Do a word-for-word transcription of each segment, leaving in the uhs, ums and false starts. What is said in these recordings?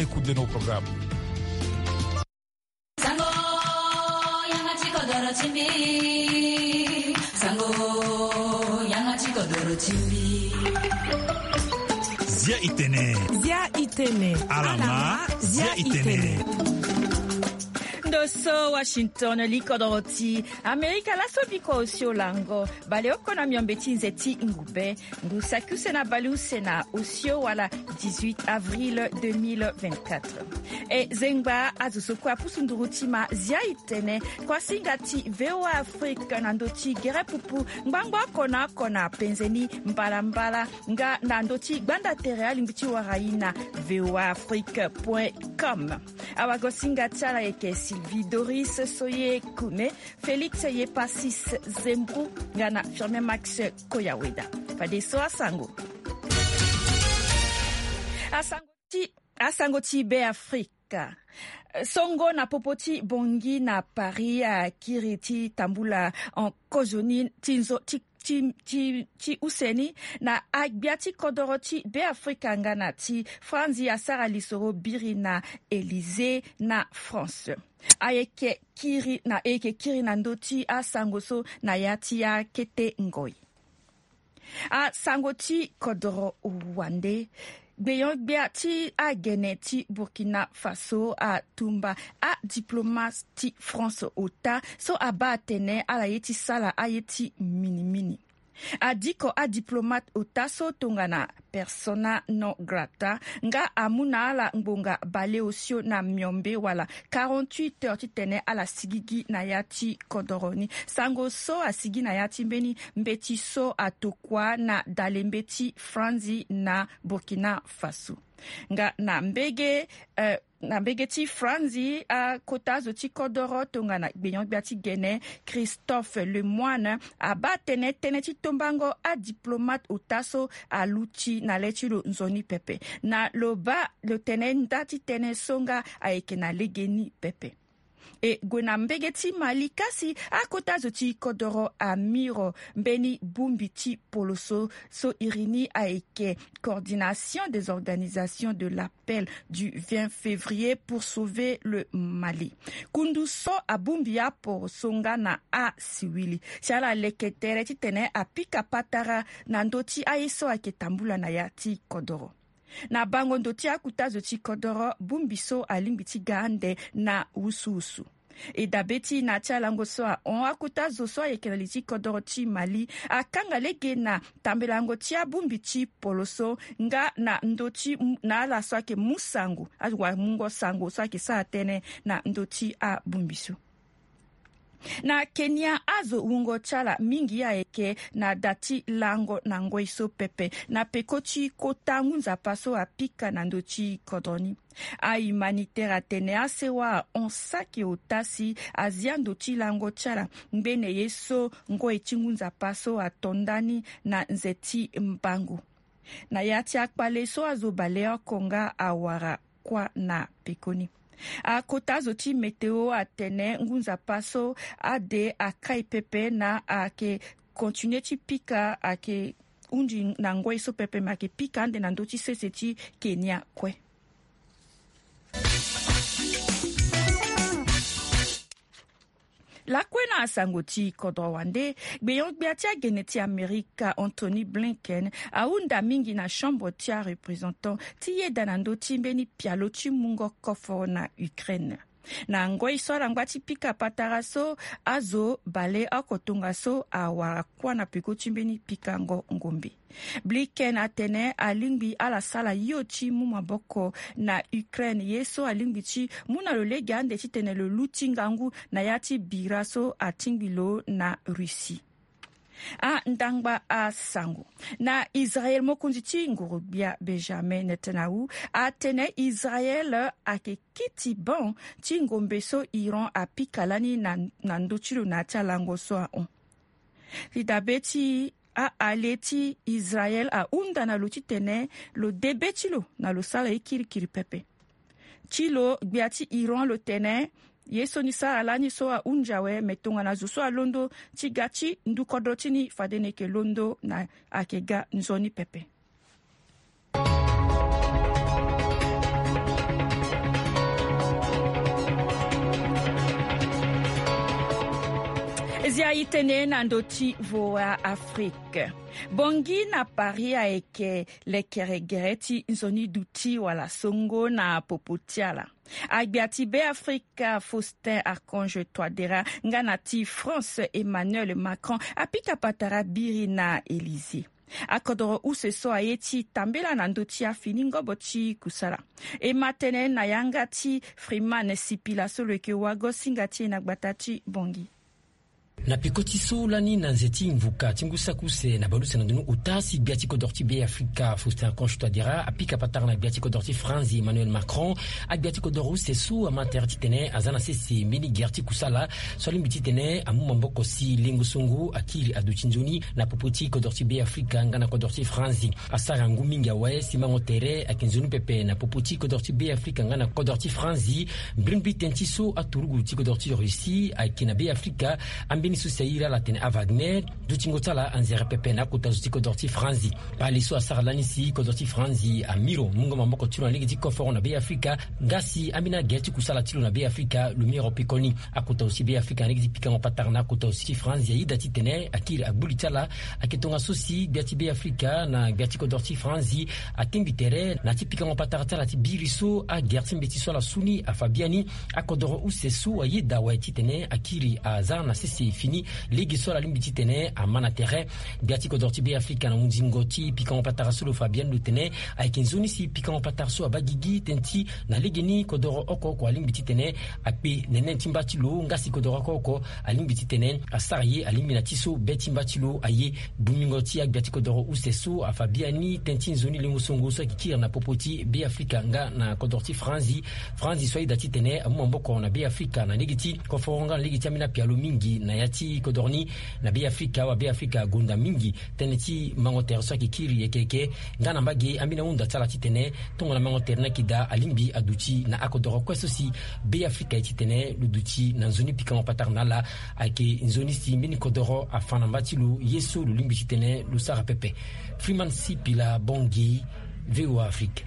Écoute de nos programmes. Sango, yanga ti kodoro ti mbi. Sango, yanga ti kodoro ti mbi. Zia itene. Zia itene. Alama, zia itene. Ndo so Washington, li kodoro ti Amerika laso biko osio lango. Baleoko na miombe ti nze ti ngube. Ngu saki use na baleuse na osio wala dix-huit avril deux mille vingt-quatre. E zengba azo so kue apusu nduru ti ma zia itene. Kuasinga ti V O A Afrique na ndö ti gere pupu ngbangbo oko na oko na penze ni mbalambala nga na ndö ti gbanda tere alingbi ti wara ye na V O A Afrique point com. Awagosinga ti ala ayeke Sylvie Doris Soye Kume, Félix Yepasis Zembrou nga na Firmin Max Koyaweda. Fadeso asango. Asango ti, asango ti Beafrika. Songo na popo ti Bangui na Paris akiri ti tambula en kozoni ti nzo ti, ti, ti, ti use ni na agbia ti kodoro ti Beafrika nga na ti Franzi asara lisoro biri na Élysée na France. Ayeke kiri na, ayeke kiri na ndö ti asango so na ya ti akete ngoi. Asango ti kodoro wande. Gbenyo-gbia ti agene ti Burkina Faso atumba adiplomate ti France ota so abaa atene ala ye ti sara aye ti minimini. Adiko adiplomate ota so tongana persona non grata nga amu na ala ngbonga baleosio na miombe wala quarante-huit heures titene ala sigigi na ya ti kodoro ni. Sango so asigi na ya ti mbeni mbeti so atokua na dalembe ti Franzi na Burkina Faso. Nga na mbege, eh, na mbege ti Franzi, akota azo ti kodoro tongana gbenyo-gbia ti gene Christophe Lemoine abaa atene tënë ti tombango adiplomate ota so aluti na le ti lo nzoni pepe. Na lo baa lo tene nda ti tënë so nga ayeke na legeni pepe. E gue na mbege ti Mali kasi akota zo ti kodoro amiro mbeni bongbi ti poloso so iri ni ayeke Coordination des organisations de l'appel du vingt février pour sauver le Mali. Kundu so abongbi aporoso nga na asiwili si ala leke tere titene apika patara na ndö ti aye so ayeke tambula na ya ti kodoro. Na bango ndo ti akuta zo ti kodoro bongbi so alingbi ti ga ande na wusuwusu. E dabe ti na ti alango so ahon akuta zo so ayeke na li ti kodoro ti Mali akanga lege na tambelango ti abongbi ti poloso nga na ndö ti na ala so ayeke mu sango, awamungo sango so ayeke sara tënë na ndö ti abongbi so. Na Kenya azo wungo ti ala mingi ayeke na da ti lango na ngoi so pepe na peko ti kota ngu nzapa so apika na ndö ti kodro ni. Ahumanitaire atene asewa ahon saki ota si azia ndo ti lango ti ala ngbene ye so ngoi ti ngu nzapa so ato ndani na nze ti mbango. Na ya ti akpale so azo baleoko nga awara kuâ na pekoni. Akota zo ti météo atene ngu nzapa so ade akai pepe na ayeke continuer ti pika ayeke hunzi na ngoi so pepe me ayeke pika ande na ndö ti sese ti Kenya kue. Lakue na asango ti kodro wande, gbenyo-gbia ti agene ti Amerika Antony Blinken ahunda mingi na chambre ti areprésentant ti yeda na ndö ti mbeni pialo ti mungo koforo na Ukraine. Na ngoi so ala ngba ti pika patara so, azo baleoko tongaso awara kuâ na peko ti mbeni pikango ngombe. Blinken atene alingbi ala sara hio ti mu maboko na Ukraine ye so alingbi ti mu na lo lege ande titene lo luti ngangu na ya ti bira so atingbi lo na Russie. Andangba asango. Na Israel, mokonzi ti nguru-gbia Benjamin Netanyahu atene Israel ayeke kiti ban ti ngombe so Iran apika lani na, na ndö ti lo na ya ti alango so ahon. Ti dabe ti a-allié ti Israel ahunda na lo titene lo de be ti lo na lo sara ye kirikiri pepe. Ti lo, gbia ti Iran lo tene ye so ni sara lani so ahunzi awe, me tongana zo so alondo ti ga ti ndu kodro ti ni fade ni yeke londo na ayeke ga nzoni pepe. Zia itene na ndö ti voa afrique. Bongi na paris ayeke lekere gere ti nzoni duti wala songo na popo ti ala. Agbia ti beafrika faustin archange toidera nga na ti france emmanuel macron apika patara biri na élysée. Akodoro use so aye ti tambela na ndö ti afini ngobo ti kusala. E ma tënë na yanga ti freeman sipila so lo yeke wago singa ti e na gbata ti bongi. Na peko ti so lani na nze ti mvuka ti ngu saki use na baleuse na ndoni ota si gbia ti kodoro ti beafrika faustin archange toidera apika patara na gbia ti kodoro ti franzi emmanuel macron. Agbia ti kodoro use so ama tere titene aza na sese mbeni gere ti kusala so alingbi titene amu maboko si lengo songo akiri aduti nzoni na popo ti kodoro ti beafrika nga na kodoro ti franzi. Asara ngu mingi awe si mango tere ayeke nzoni pepe na popo ti kodoro ti beafrika nga na kodoro ti franzi. Mbrimbri tënë ti so aturugu ti kodoro ti russie ayeke na beafrika. Ambeni so si airi ala atene awagner dutingo ti ala anzere pepe na akota zo ti kodoro ti franzi. Pale so asara lani si kodro ti franzi amiro mungo maboko ti lo na lege ti koforo na beafrika. Nga si ambeni agere ti kusala ti lo na beafrika lo miro pekoni. Akota zo ti beafrika na lege ti pikango patara na akota zo ti franzi ayeda titene akiri agbu li ti ala. Ayeke tongaso si gbia ti beafrika na gbia ti kodro ti franzi atingbi tere na ya ti pikango patara ti ala ti biri so agere ti mbeti so ala su ni afa biani. Akodoro use so ayeda awe titene akiri aza na sese fini lege so ala lingbi titene ama na tere. Gbia ti kodoro ti beafrika na hunzingo ti pikango patara so lo fa biani lo tene ayeke nzoni si pikango patara so abaa gigi tënë ti na legeni kodoro oko oko alingbi titene akpe nene ti mba ti lo nga si kodoro oko oko alingbi titene asara ye alingbi na ti so be ti mba ti lo aye. Bungbingo ti agbia ti kodoro use so afa biani tënë ti nzoni lengo songo so ayeke kiri na popo ti beafrika nga na kodoro ti franzi. Franzi so ayeda titene amu maboko na beafrika na lege ti koforo nga na lege ti ambeni apialo mingi na ya ti kodoro ni. Na beafrika awa beafrika agonda mingi tënë ti mango tere so ayeke kiri yeke yeke nga na mbage ambeni ahunda ti ala titene tongana mango tere ni ayeke daa alingbi aduti na akodoro kue so si beafrika aye titene lo duti na nzoni pikango patara na ala. Ayeke nzoni si mbeni kodoro afa na mba ti lo ye so lo lingbi titene lo sara pepe. Freeman sipila bongi. Voa afrique.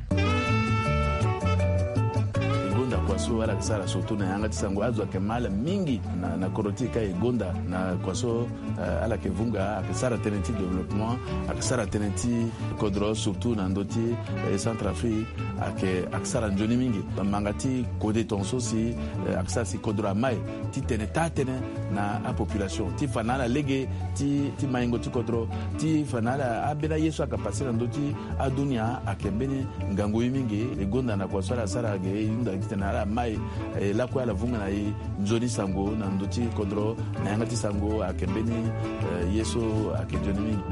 E gonda kua so ala yeke sara surtout na yanga ti sango azo ayeke ma ala mingi na, na kodro ti e ka e gonda na kua so. Eh, ala yeke vunga ayeke sara tënë ti développement ayeke sara tënë ti kodro surtout na ndö ti eh, centre afrique. Ayeke ayeke sara nzoni mingi manga ti kode tongaso si eh, ayeke sara si kodro amai titene taa tënë na apopulation ti fa na ala lege ti, ti maingo ti kodro ti fa na ala ambeni aye so ayeke pase na ndö ti adunia ayeke mbeni ngangu ye mingi. E gonda na kua so ala sara ge e hunda titene ala mai eh, lakue ala vunga na e nzoni sango na ndö ti kodro na yanga ti sango ayeke mbeni eh, ye so ayeke nzoni mingi.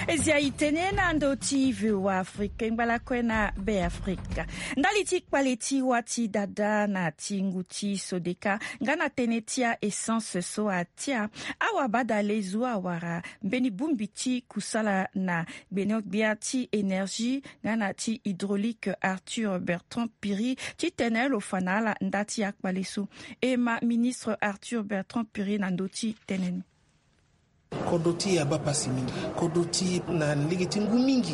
E zia e tene na ndö ti voa afrika e ngba lakue na beafrika ndali ti kpale ti wâ ti dada na ti ngu ti sodeka nga na tënë ti a essence so atia. Awabadale zo awara mbeni bongbi ti kusala na gbene-gbia ti énergie nga na ti hydraulique arthur bertrand piri titene lo fa na ala nda ti akpale so. E ma ministre arthur bertrand piri na ndö ti tënë ni. Kodro ti e abaa pasi mingi. Kodro ti e na lege ti ngu mingi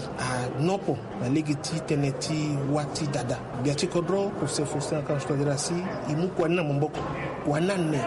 anopo na lege ti tënë ti wâ ti dada. Gbia ti kodro use faustin akange toidera si e mu kua ni na maboko. Kua ni ane.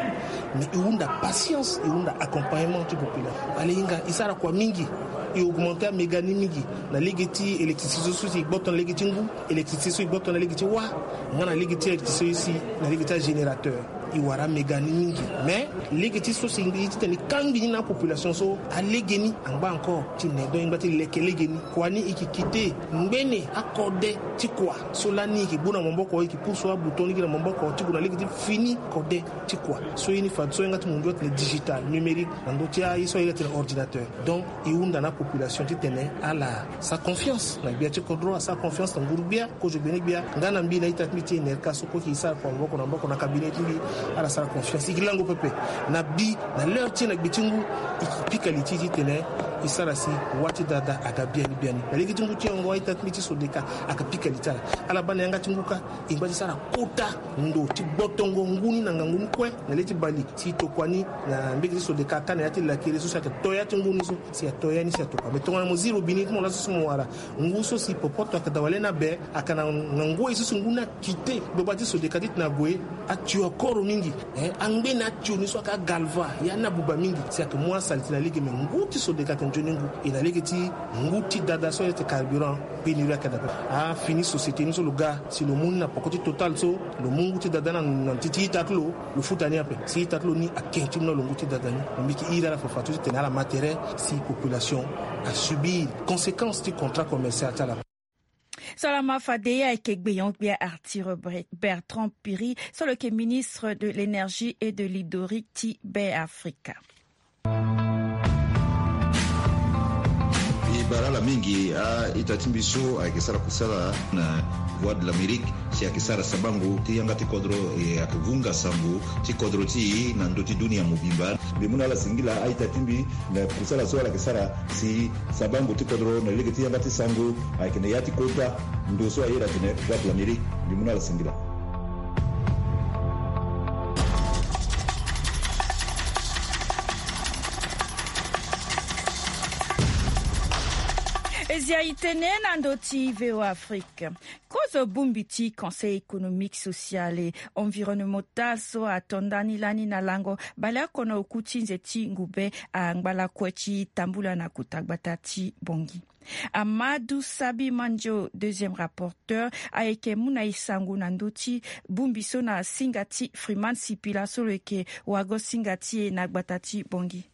Mais e hunda patience e hunda accompagnement ti population. Ale hinga e sara kua mingi. E augmente améga ni mingi na lege ti électricité so si e gboto na lege ti ngu. Électricité so e gboto na lege ti wâ nga na lege ti électricité so si na lege ti agénérateur. E wara améga ni mingi. Mais lege ti so si e titene e kangbi ni na apopulation so alege ni angba encore ti ne donc e ngba ti leke lege ni. Kua ni e yeke kite ngbene akode ti kua so lani e yeke gbu na maboko e yeke pusu abouton ni gi na maboko ti gue na lege ti fini kode ti kua. So ye ni fadeso e yanga ti mundu atene digital numérique na ndö ti aye so aye atene ordinateur. Donc e hunda na apopulation titene ala sara confiance na gbia ti kodro asara confiance na nguru-gbia kozo gbene-gbia nga na mbi na ita ti mbi ti enerka so kue e sara kua maboko na maboko na cabinet ti mbi. Ala sara confiance e yeke lango pepe na bi na l'heure ti e na gbe ti ngu. E yeke pika li ti e titene E sara si wâ ti dada aga biani biani. Na lege ti ngu ti yongo a-ita ti mbi ti Sodeka aga pika li ti ala. Ala baa na yanga ti ngu kâ, e ngba ti sara kota ndo ti gbotongo ngu ni na ngangu ni kue na le ti bale, si e tokua ni na mbege ti Sodeka kâ na yâ ti lakere so si ayeke to yâ ti ngu ni so, si ato yâ ni si atokua. Me tongana mo zi robini ti mo laso so mo wara ngu so si popoto ayeke daa wala ni abe, ayeke na ngangu aye so si ngu ni akite gbagba ti Sodeka titene ague. Atio akoro mingi. Eh, angbe na atio ni so ayeke agalva, ya ni abuba mingi. Si ayeke mu asali ti na lege, me ngu ti Sodeka ayeke nzoni ngu. E na lege ti ngu ti dada so ayeke carburant, pénurie ayeke daa ape. Afini société ni so lo ga si lo mu ni na poko ti Total so, lo mu ngu ti dada ni na, na ti ti ita ti lo, lo futa ni ape. Si ita ti lo ni ake ti mu na lo ngu ti dada ni. Lo mbi yeke iri ala fafadeso titene ala ma tere si population asubir conséquence ti contrat commercial ti ala. Salama fade, ye ayeke gbenyo-gbia Arthur Bre-, Bertrand Piri, so lo yeke ministre de l'énergie et de l'hydraulique ti Be Afrika. E bara ala mingi a-ita ti mbi so ayeke sara kusala na Voix de l'Amérique, si ayeke sara sabango ti yanga ti kodro, e ayeke vunga sango ti kodro ti e na ndö ti dunia mobimba. Mbi mu na ala singila a-ita ti mbi na kusala so ala yeke sara si sabango ti kodro na lege ti yanga ti sango ayeke na yâ ti kota ndo so ayeda atene Voix de l'Amérique. Mbi mu na ala singila. E zia e tene na ndö ti V O A Afrique. Kozo bongbi ti Conseil économique, social et environnemental so ato ndani lani na lango baleoko na oku ti nze ti ngube angba lakue ti tambula na kota gbata ti Bangui. Amadou Sabi Mandio, deuxième rapporteur, ayeke mu na e sango na ndö ti bongbi so na singa ti Freeman Sipila so lo yeke wago singa ti e na gbata ti Bangui.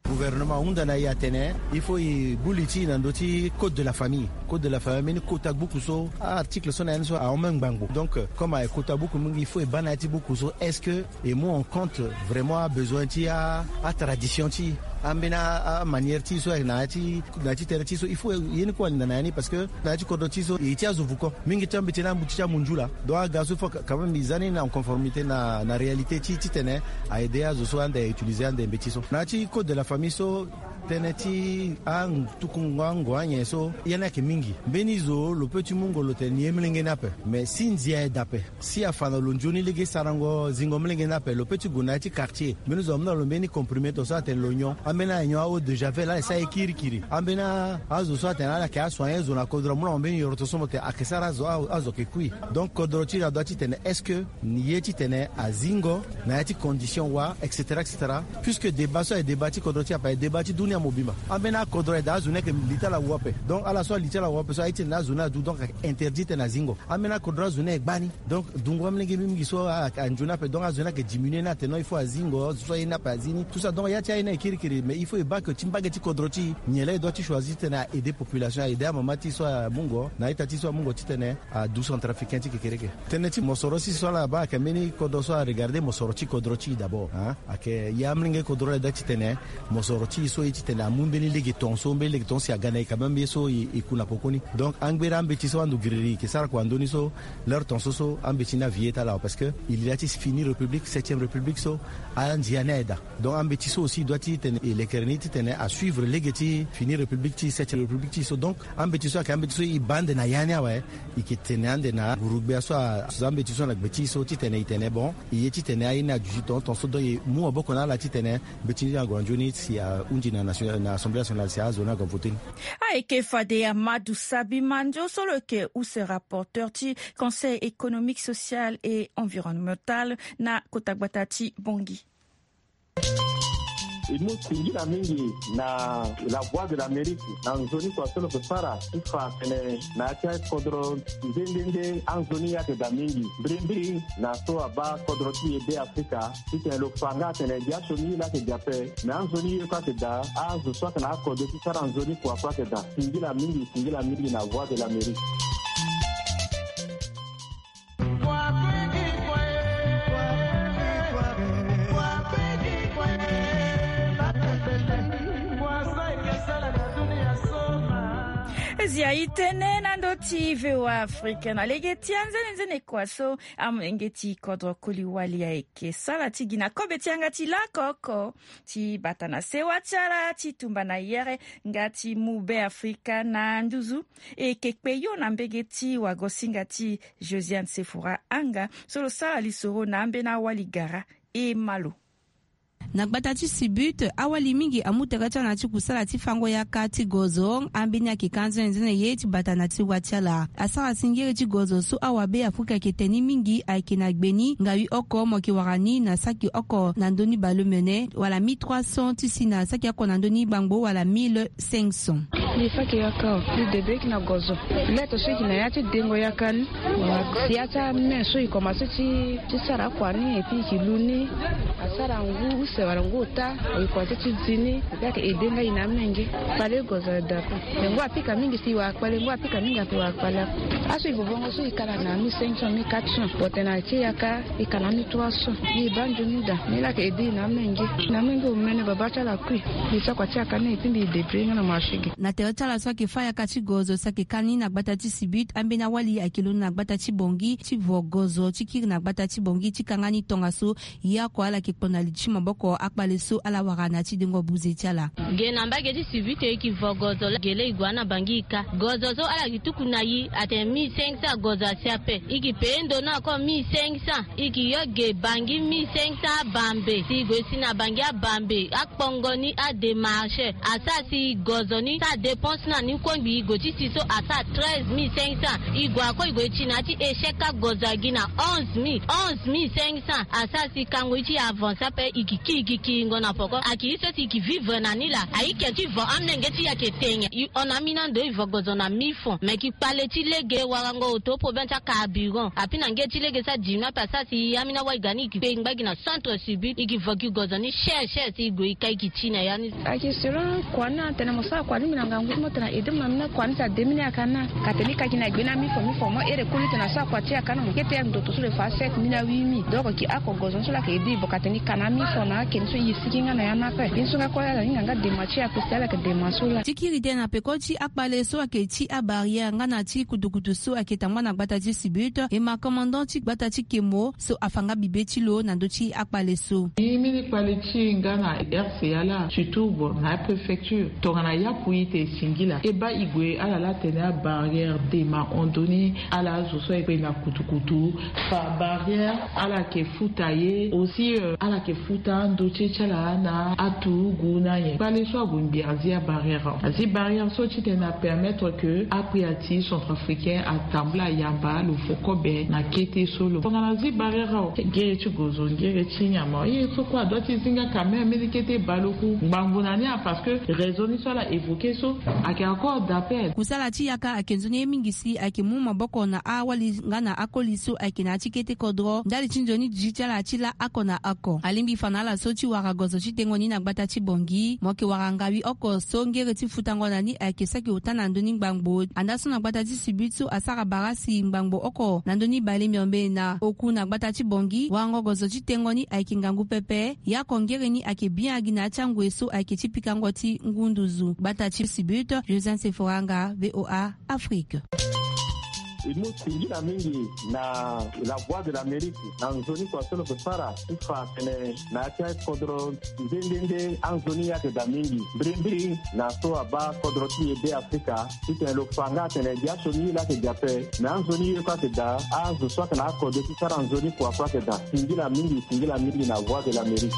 Gouvernement ahunda na e atene il faut e gbu li ti e na ndö ti code de la famille. Code de la famille ambeni kota buku so, article so na ya ni so ahon même ngbangbo. Donc, euh, comme ayeke kota buku mingi, il faut e baa na ya ti buku so, est-ce que e mu en compte vraiment abesoin ti a, atradition ti e, ambeni a, amanière ti e so ayeke na ya ti, na ya ti tere ti e so, il faut ye ni kue alinda na ya ni, parce que na ya ti kodro ti e so e ti azo vuko. Mingi ti ambeti ni ambuti ti amunzu laa. Donc aga so il faut quand même e za ni na conformité na, na réalité ti e titene a aide azo so ande a utiliser ande mbeti so. Na ya ti code de la famille so, tënë ti antukungo ango anyen so, ya ni ayeke mingi. Mbeni zo lo peut ti mungo lo tene ni ye molenge ni ape. Mais si ndia aye daa ape, si afa na lo nzoni lege sarango zingo molenge ni ape, lo peut ti gue na ya ti quartier. Mbeni zo amu na lo mbeni comprimé to so atene lo nyon. Ambeni aye nyon a-eau de javel, ala sara ye kirikiri. Ambeni azo so atene ala yeke asoigné zo na kodro amu na lo mbeni yoroto so mo tene ayeke sara azo, a, azo ayeke kui. Donc kodro ti e adoit titene est-ce que ni ye titene azingo na ya ti condition wa, et cetera, et cetera. Puisque débat so aye débat ti kodro ti e ape, aye débat ti dunia mobimba. Ambeni akodro aye daa azo ni ayeke li ti ala wu ape. Donc ala so ali ti ala wu ape so aye titene azo ni adu, donc ayeke interdit titene azingo. Ambeni akodro azo ni aye gbani. Donc dungo amolenge mingi so a, a, anzoni ape, donc azo ni ayeke diminué ni atene non, il faut azingo, azo so aye ni ape azi ni. Tout ça, donc ya ti aye ni ayeke kirikiri, mais il faut e baa que ti mbage ti kodro ti e, nyen laa e doit ti choisir titene a aider population, a aider amama ti e so amungo na a-ita ti e so amungo titene adu centrafricain ti kekereke. Tënë ti mosoro ti e so ala baa ayeke mbeni kodro so aregarder mosoro ti kodro ti e d'abord, hein. Ayeke ya amolenge kodro la e doit titene mosoro ti e so ye titene amu mbeni lege ton so, mbeni lege ton si aga na e quand même ye so e, e ku na pokoni. Donc angbere ambeti so ando giriri e yeke sara kua ndoni so, leur ton so so ambeti ni avi ye ti ala awe, parce que e li la ti fini république, septième république so, andia ni aye daa. Donc ambeti so aussi e doit titene e lekere ni titene asuivre lege ti fini république ti e, septième république ti e so. Donc ambeti so ayeke ambeti so e baa ande na ya ni awe. E yeke tene ande na nguru-gbia so a, ambeti so na gbe ti e so titene e tene bon, e ye titene aye ni aduti ton ton so, donc e mu maboko na ala titene mbeti ni ague na nzoni si ahunzi na nation, na Assemblée nationale si azo ni ague voter ni. Ayeke fade Amadou Sabi Mandio so lo yeke use rapporteur ti Conseil économique, social et environnemental na kota gbata ti Bangui. E mu singila mingi na La Voix de l'Amérique na nzoni kua so lo yeke sara ti fa atene na ya ti akodro nde nde nde anzoni ye ayeke daa mingi. Mbirimbiri na so abaa kodro ti e Be Afrika, titene lo fa nga atene gi asioni ye laa ayeke gi ape, me anzoni ye kue ayeke daa. Azo so ayeke na akode ti sara nzoni kua kue ayeke daa. Singila mingi, singila mingi na Voix de l'Amérique. Zia itene na ndo ti V O A Afrique na lege ti anzenenzene kua so amolenge ti kodro koli wali ayeke sala ti gi na kobe ti yanga ti lako oko ti bata na sewa ti ala ti tumba na yere nga ti mu Be Afrika na nduzu. E yeke kpe yo na mbege ti wagosinga ti Josiane Sefora Anga so lo sara lisoro na ambeni awali gara e ma lo. Na gbata ti Sibut, awali mingi amu tere ti ala na ti kusala ti fango yaka ti gozo. Ambeni ayeke ka nzene nzene ye ti bata na ti wa ti ala. Asara si ngere ti gozo so awabe Afrika ayeke tene ni mingi ayeke na gbe ni ngawi oko mo yeke wara ni na saki oko na ndö ni baleomene wala mille trois cents ti si na saki oko na ndö ni gbangbo wala mille cinq cents. Mbi fa yeke yaka o, mbi debe yeke na gozo. Lete so e yeke na ya ti dengo yaka ni. Wala si ya ti ame so e komanse ti ti sara akua ni et puis e yeke lu ni. Asara ngu use wala ngu ota, e komanse ti zi ni. E yeke aide nga e na amenge. Kpale gozo ada ape. Me ngu apika mingi si e wara kpale, ngu apika mingi ape e wara kpale ape. Aso e vovongo so e kala na mille cinq cents, mille quatre cents. Bon, tena ti e yaka e kala mille trois cents. Mbi baa nzoni daa. Ni laa ayeke aide e na amenge. Na amenge omene babâ ti ala akui. Mbi sara kua ti yaka ni et puis mbi débrouiller nga na marché ge. Na tere ti ala so ayeke fâ yaka ti gozo so ayeke ka ni na gbata ti Sibut, ambeni awali ayeke londo na gbata ti Bangui ti vo gozo ti kiri na gbata ti Bangui ti ka nga ni tongaso. Ye oko ala yeke kpo na li ti maboko akpale so ala wara na ya ti dengo buze ti ala. Ge na mbage ti Sibut e yeke vo gozo laa ge laa e gue na Bangui e ka. Gozo so ala yeke tuku na e atene mille cinq cents gozo asi ape. E yeke peye ndo ni ako mille cinq cents. E yeke yo ge Bangui mille cinq cents abambe. Si e gue si na Bangui abambe, akpongo ni adémarche. Asara si gozo ni sara dépense na ni kongbi. E gue ti si so asara treize mille cinq cents. E gue ako e gue ti na ya ti échec agozo agi na onze mille, onze mille cinq cents. Asara si kango ye ti e avance ape. E yeke ki, e yeke kiringo na poko. Ayeke ye so si e yeke vivre na ni laa. Ayeke ti vo amolenge ti e ayeke tene. E hon na ambeni ando e vo gozo na mille francs. Me e yeke kpale ti lege, warango auto, problème ti acarburant. Api na nge ti lege so adimi ape asara si ambeni awali ga ni e yeke kpe ngba gi na centre Sibut. E yeke vo gi gozo ni cher cher si e gue e ka e yeke ti na ya ni. Ayeke selon kua ni atene mo sara kua ni mbi na ngangu ti mo tene aide mo na mbeni kua ni si ademi ni ayaka ni. Ka tene e ka gi na gbe ni amille francs, mille francs mo here koli tene asara kua ti e ayaka ni mo kete ya ndoto so lo fa sept mille na huit mille. Donc e yeke oko gozo ni so laa ayeke aide e. Bon ka tene e ka na amille francs na akeni so e sigi nga na ya ni ape. Ye ni so nga kue ala hinga nga dema ti e ape si ala yeke dema so laa. Ti kiri tënë na peko ti akpale so ayeke ti abarrière nga na ti kutukutu so ayeke tambula na gbata ti Sibut, e ma commandant ti gbata ti Kemo so afa nga bibe ti lo na ndö ti akpale so. Ni mbeni kpale ti e nga na R C A laa, surtout bon na apréfecture. Tongana yapu ite e singila, e baa e gue ala laa atene abarrière dema hon ndoni ala azo so ayeke na kutukutu. Fa barrière ala yeke futa ye aussi, euh, ala yeke futa ando ti e ti ala na aturugu na nyen. Kpale so ague ngbi azi abarrière awe. Azi barrière so titene apermettre que akpia ti centrafricain atambula ayamba lo fo kobe na kete so lo. Tongana azi barrière awe, ngere ti gozo, ngere ti nyama, ye so kue adoit ti zi nga quand même. Mbeni kete baleoku ngbangbo na ni a, parce que raison ni so ala évoquer so ayeke encore d'appel. Kusala ti yaka ayeke nzoni ye mingi si ayeke mu maboko na awali nga na akoli so ayeke na ya ti kete kodro ndali ti nzoni duti ti ala ti laa oko na oko. Alingbi fa na ala so ti wara gozo ti tengo ni na gbata ti Bangui, mo yeke wara ngawi oko so ngere ti futango na ni ayeke saki ota na ndö ni ngbangbo. Andaa so na gbata ti Sibut so asara bara si ngbangbo oko na ndö ni bale miombe na oku na gbata ti Bangui, warango gozo ti tengo ni ayeke ngangu pepe. Ye oko ngere ni ayeke bian gi na ya ti angoi so ayeke ti pikango ti ngu nduzu. Gbata ti Sibut, Josiane Sefora Anga, V O A Afrique. E mu singila mingi na La Voix de l'Amérique na nzoni kua so lo yeke sara ti fa atene na ya ti akodro nde nde nde anzoni ayeke daa mingi. Mbirimbiri na so abaa kodro ti e Be Afrika titene lo fa nga atene gi asioni ye laa ayeke daa ape. Me anzoni ye kue ayeke daa, azo so ayeke na akode ti sara nzoni kua kue ayeke daa. Singila mingi, singila mingi na Voix de l'Amérique.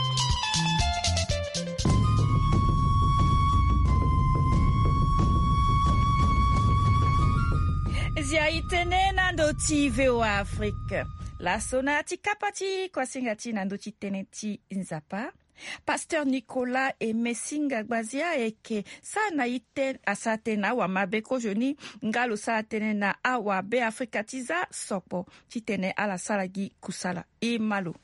Zia itene na ndo ti V O A Afrique. Laso na ya ti kapa ti kuasinga ti na ndo ti tënë ti Nzapa, Pasteur Nicolas Emesinga Gbazia ayeke sara na ite asara tënë na awamabe kozoni nga lo sara tënë na awabe Afrika ti za sokpo titene ala sara gi kusala. E ma lo.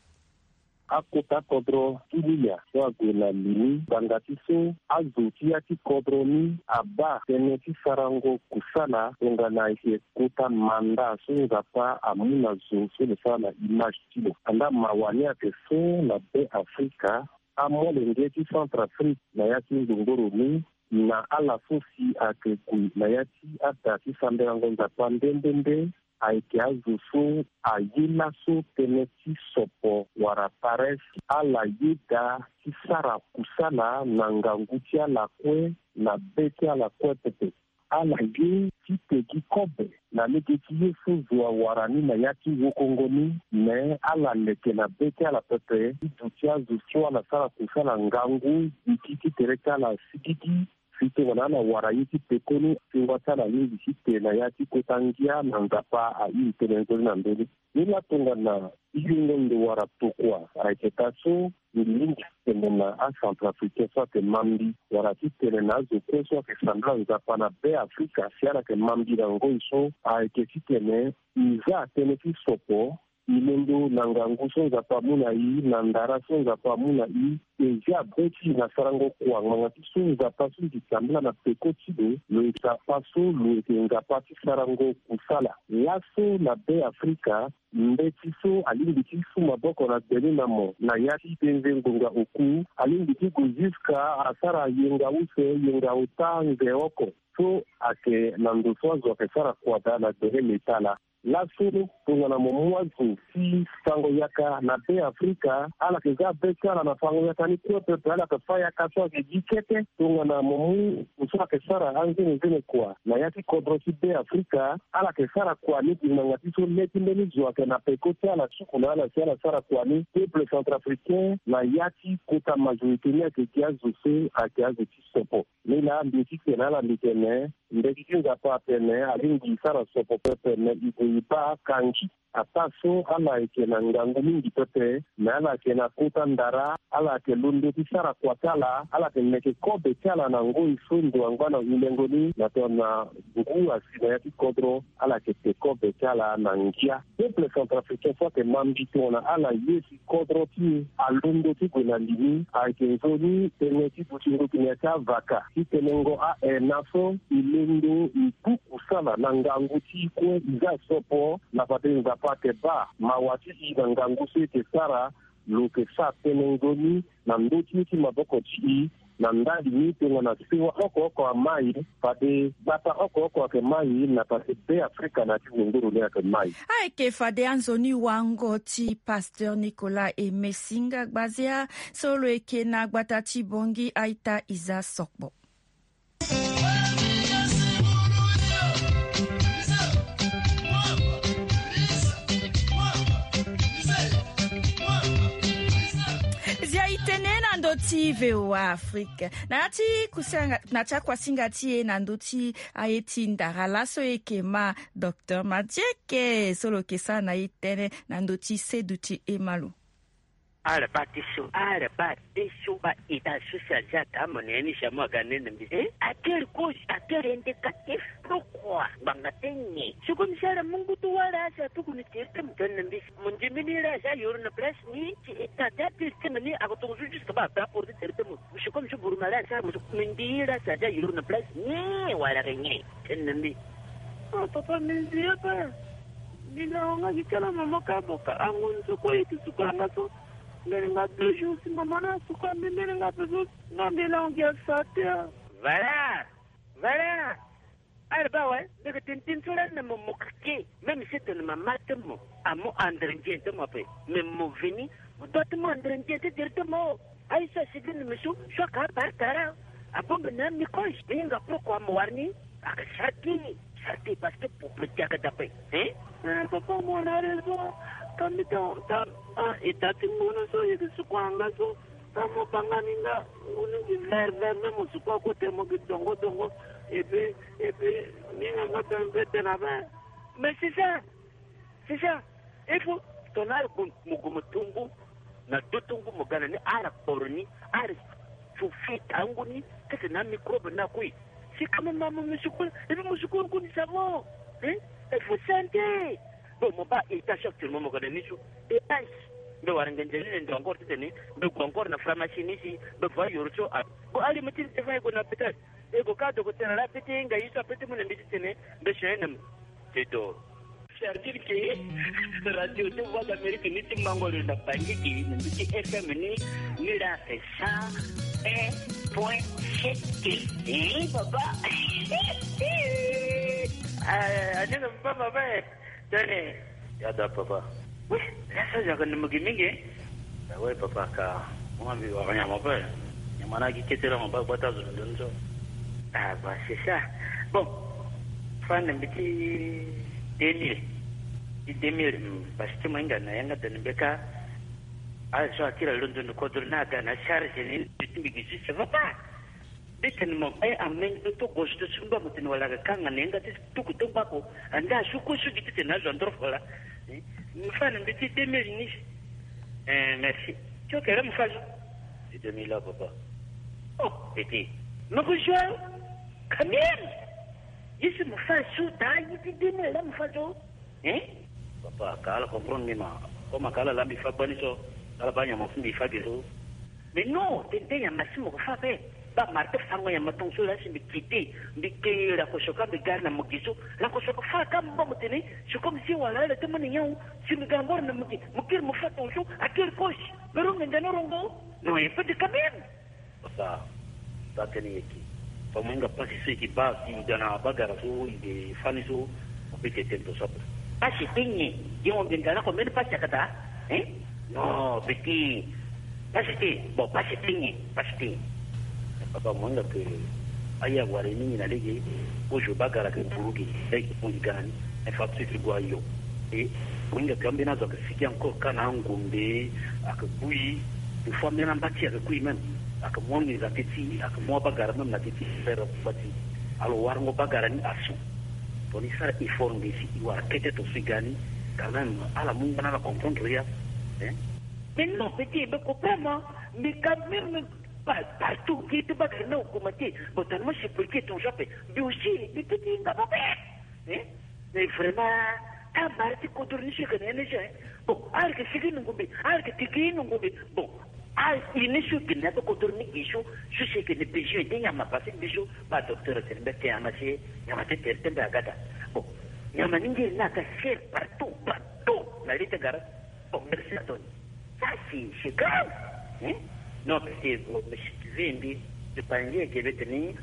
Akota kodro ti Lilia so ague na li ni ngbanga ti so azo ti ya ti kodro ni abaa tënë ti sarango kusala tongana e yeke kota manda so Nzapa amu na zo so lo sara na image ti lo. Andaa mawa ni ayeke so na Be Afrika, amolenge ti Centrafrique na ya ti ngbongboro ni na ala so si ayeke gue na ya ti ada ti sambelango Nzapa nde nde nde, ayeke azo so aye laso tënë ti sopo wala paresse. Ala yeda ti sara kusala na ngangu ti ala kue, na be ti ala kue pepe. Ala ye ti te gi kobe na lege ti ye so zo awara ni na ya ti wokongo ni. Me ala leke na be ti ala pepe ti duti azo so ala sara kusala ngangu, gi ti tere ti ala sigigi. Si tongana ala wara ye ti pekoni, tingua ti ala alingbi ti te na ya ti kota ngia na Nzapa airi tënë nzoni na ndö ni. Ni laa tongana e yongo ndo wala tokua, ayeke taa so mbi lingbi ti tene na acentrafricain so ayeke ma mbi, wala ti tene na azo kue so ayeke sambela Nzapa na Be Afrika si ala yeke ma mbi na ngoi so, ayeke ti tene e za tënë ti sopo, e londo na ngangu so Nzapa amu na e, na ndara so Nzapa amu na e, e zia be ti e na sarango kua ngbanga ti so Nzapa so mbi sambela na peko ti lo, lo yeke Nzapa so lo yeke Nzapa ti sarango kusala. Laso na Be Afrika, mbeti so alingbi ti su maboko na gbe ni na mo na ya ti penze ngonga oku, alingbi ti gue ziska asara yenga use, yenga ota, nze oko. So ayeke na ndo so azo ayeke sara kua daa na gbele leta laa. Laso tongana mo mu azo ti fango yaka na Be Afrika, ala yeke za be ti ala na fango yaka ni kue pepe, ala yeke fâ yaka so ayeke gi kete. Tongana mo mu ndo so ayeke sara anzenenzene kua na ya ti kodro ti Be Afrika, ala yeke sara kua ni gi ngbanga ti so le ti mbeni zo ayeke na peko ti ala, suku na ala si ala sara kua ni. Peuple centrafricain na ya ti kota majorité ni ayeke gi azo so ayeke azo ti sopo. Ni laa mbi ye ti tene na ala, mbi tene, mbeti ti Nzapa atene alingbi e sara sopo pepe, me e gue e baa kangi. Ataa so ala yeke na ngangu mingi pepe, me ala yeke na kota ndara, ala yeke londo ti sara kua ti ala, ala yeke meke kobe ti ala na ngoi so ndo angba na hulengo ni, na tongana ngu asi na ya ti kodro, ala yeke te kobe ti ala na ngia. Peuple centrafricain so ayeke ma mbi tongana ala ye si kodro ti e alondo ti gue na li ni, ayeke nzoni tënë ti dutingo gi na ya ti avaka ti tenengo a-ena so e londo e ku kusala na ngangu ti e kue, e za sopo na fade Nzapa ayeke baa mawa ti e na ngangu so e yeke sara. Lo yeke sara tënë nzoni na ndö ti ye ti maboko ti e. Na ndali ni, tongana sewa oko oko amai, fade gbata oko oko ayeke mai, na fade Be Afrika na ya ti zunguru ni ayeke mai. Ayeke fade anzoni wango ti Pasteur Nicolas Aimé Singa Gbazia, so lo yeke na gbata ti Bangui, a-ita Isa Sokpo. Zia e tene na ndö ti V O A Afrique. Na ya ti kusinga, na ti akuasinga ti e na ndö ti aye ti ndara laso e yeke ma Docteur Madieke, so lo yeke sara na e tënë na ndö ti seduti e ma lo. Ala baa ti so, ala baa ti so, baa ita so si azia taa mo na ya ni si amu aga nene mbi. Eh, à quelle cause, à quel indicatif, pourquoi? Ngbanga ti nyen? Si comme si ala mu ngu ti wara si atuku ni tere ti mo tene na mbi. Mo ndimi ni la si ayoro na place ni, si ita ti atiri ti mo ni, ako tongo so jusque baa baa porte tere ti mo. Si comme si buruma la si ala mo so, mo ndi la si azia yoro na place ni, wala ke nyen? Tene na mbi. Oh, papa, mbi nzi ye pe. Mbi na wanga gi kala mama ka boka. Ango nzoko ye ti suka nga so. Mbeni nga deux jours si mama na suka mbi, mbeni nga pe so. Nga mbi na wanga sa te. Voilà. Voilà. Ala baa awe, mbi yeke tene tënë so lani na mo, mo keke. Même si tene mama ti mo amu andre nzien ti mo ape, mais mo veni, mo doit ti mu andre nzien ti tere ti mo. Aye so asi gi na mbi so, so aka abare tara. Abongbi na mbi koy, mbi hinga pourquoi mo wara ni. Aka sara ti, sara ti parce que pour petit aka dape. Hein? Eh, papa, mo na raison. Ka mbi ta, ta, ah, e ta ti ngono so, e yeke suku anga so. Ka mo banga ni nga, ngunu gi vert vert, même mo suku akote mo gi dongo dongo. Et puis, et puis, ni nga nga tene mbi tene ape. Mais c'est ça. C'est ça. Il faut tongana ala gue mo, gue mo tongo na do tongo mo ga na ni, ala kporo ni, ala so fi tango ni, kete na microbe na kue. Si ka mo ma mo musukulu, et puis musukulu kue ni savon. Hein? Il faut santé. Bon, mo baa étage actuellement mo ga na ni so. Étage. Mbi wara nge nzeni ne ndo encore ti tene, mbi gue encore na pharmacie ni si, mbi va yoro so a. Bon, ali mo ti ni te fa e gue na hôpital. E gue ka docteur la, peut-être nga ye so a peut-être mu na mbi ti tene, mbi soin na mo. C'est tout. C'est-à-dire que radio ti Voix d'Amérique ni ti mango lo na Bangui, na mbi ti F M ni, ni la, c'est ça, eh. Point C T. Eh, papa. Ah, ande na papa, papa, eh. Tene. Ya da, papa. Oui, la sa yaka na mugi mingi. Ah ouais, papa, ka. Mo mbi wara nyama pe. Nyama na gi kete la mo ba gbata zo ndo nzo. Ah, bah, c'est ça. Bon. Fa na mbi ti deux mille. Ti deux mille, hmm, parce que mo hinga na yanga tene mbi ka. Ah, so akiri alondo ni kodro na aga na charge ni, mbi ti mbi gi juste, ça va pas. Mbi tene mo, eh, amenge to gozo to sumba mo tene wala aga kanga na yanga ti tuku to ngbako. Anda asuku sugi ti tene azo andoro fola. Eh, mbi fa na mbi ti deux mille ni. Eh, merci. Ti oke la mo fa zo. Ti deux mille la, papa. Oh, petit. Mo ko zo quand même. Ye si mo fa zo ta, ye ti deux mille la mo fa zo. Hein? Papa, ka ala comprendre ni ma. Comme ka ala la mbi fa bani so, ala ba nyama fu mbi fa ge so. Mais non, tene tene nyama si mo ko fa pe. Ba marteau fango nyama tongaso la si mbi kite, mbi ke la ko soka mbi gari na mo gi so. La ko soka fa ka mo ba mo tene, c'est comme si wala ala te mo ni nyawu, si mbi ga ngoro na mo gi, mo kiri mo fa tongaso, akiri kosi. Mais rongo ndana rongo. Non, il faut de quand même. Papa, sa tene yeke. Fa mo hinga pasi so yeke ba si i ga na bagara so i de fani so, mo peut ti tene to so ape. Pasi ti nyen? Ye mo mbi nga na ko mbeni pasi akata? Hein? Non, petit. Pasi ti, bon, pasi ti nyen? Pasi ti nyen? Papa, mo hinga ke aya wara ye mingi na lege, kozo bagara ke buru ge, lege mo i ga na ni. Infarctus ti gue ayo. E mo hinga ke ambeni azo ayeke sigi encore ka na angombe, ayeke kui. Une fois même amba ti ayeke kui même, ayeke mu angeza ti ti, ayeke mu abagara même na ti ti, frère amba ti. Alors warango bagara ni asu. Tongana i sara effort ngbisi i wara kete tongaso i ga ni, quand même ala mu nga na ala comprendre ya. Hein? Mais non, petit, mais comprends moi, mais quand même, pa- partout nge ti bagara ni augmenter. Bon, tongana mo suppliquer tongaso ape, mais aussi, mais petit, nga mo pe. Hein? Mais vraiment, amara ti kodro ni so yeke na ye ni so, hein? Bon, ala yeke sigi na ngombe, ala yeke tigi na ngombe. Bon, a ini so yeke na ya be kodro ni gi so, so si yeke na besoin ti nyama parce que mbi so, ba docteur atene mbi ake nyama si, nyama ti tere ti mbi aga daa. Bon, nyama ni ngiri ni aga cher partout, partout na li ti gara. Bon, merci à toi. Ça, c'est, c'est grave. Hein? Non, parce que, bon, monsieur, tu veux, mbi, je pense que, que, que,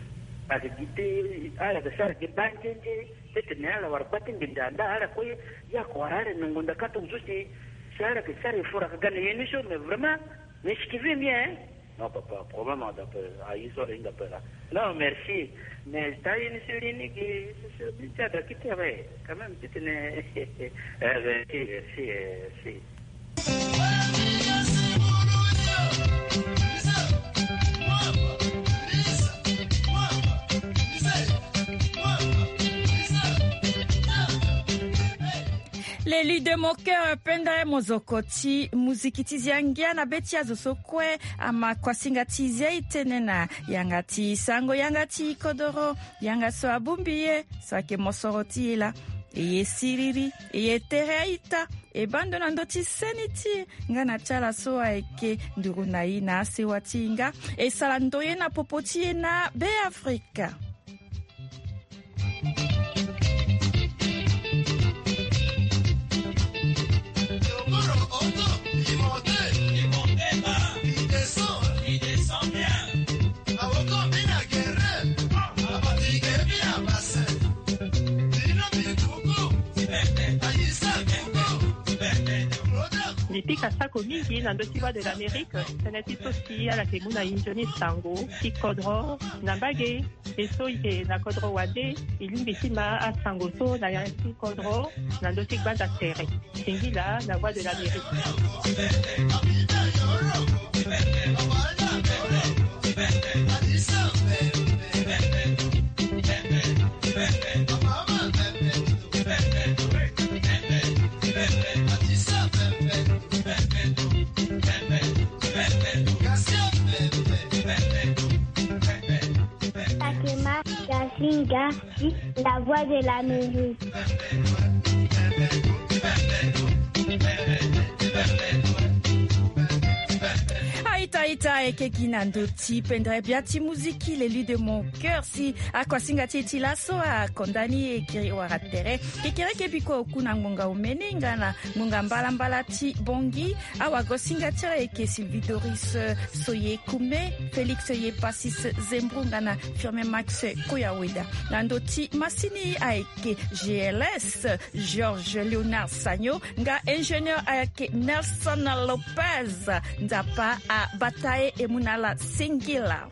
parce que, que, ala, que ça, que, banjende, peut-être, mais ala, wara, bati, mbi, nda, nda, ala, kue, ya, ko, wara, ala, nongo, nda, kato, zo, si, si, ala, que ça, il faut, que, gagner, émission, mais vraiment, mais ce qui veut bien, hein? Non, papa, problème, on appelle, ah, ils sont, ils appellent, là. Non, merci. Mais, t'as une série, ni, que, c'est, c'est, tu as, quand même, tu tenais, euh, merci, merci, euh, merci. L'élu de mon cœur, Penda Mozokoti, muziki ti zia ngia na be ti azo so kue, ama kuasinga ti zia e tene na yanga ti sango, yanga ti kodoro, yanga so abongbi e, so ayeke mosoro ti e laa. E ye siriri, e ye tere a-ita, e baa ndo na ndö ti seni ti e, nga na ti ala so ayeke nduru na e na asewa ti e nga, e sara ndoye na popo ti e na Beafrika. Mbi pika sako mingi na ndö ti Voix de l'Amérique, tënë ti so si ala yeke mu na e nzoni sango ti kodro na mbage. E so e yeke na kodro wande, e lingbi ti ma asango so na yanga ti kodro na ndö ti gbanda tere. Singila na Voix de l'Amérique. Takema Gasinga, la Voix de l'Amérique. A-ita, Ita eke gi na ndo ti pendere bia ti muziki, l'élu de mon cœur, si akuasinga ti e ti laso akonda ni e kiri wara tere. Kekereke biko oku na ngbonga omene nga na ngbonga mbalambala ti bongi. Awagosinga ti ayeke Sylvie Doris Soye Kume, Félix Ye Passis Zembro nga na Firmin Max Koyaweda. Na ndo ti masini ayeke G L S Georges Léonard Sagno nga ingénieur ayeke Nelson Lopez. Nzapa abata e, e mu na ala singila.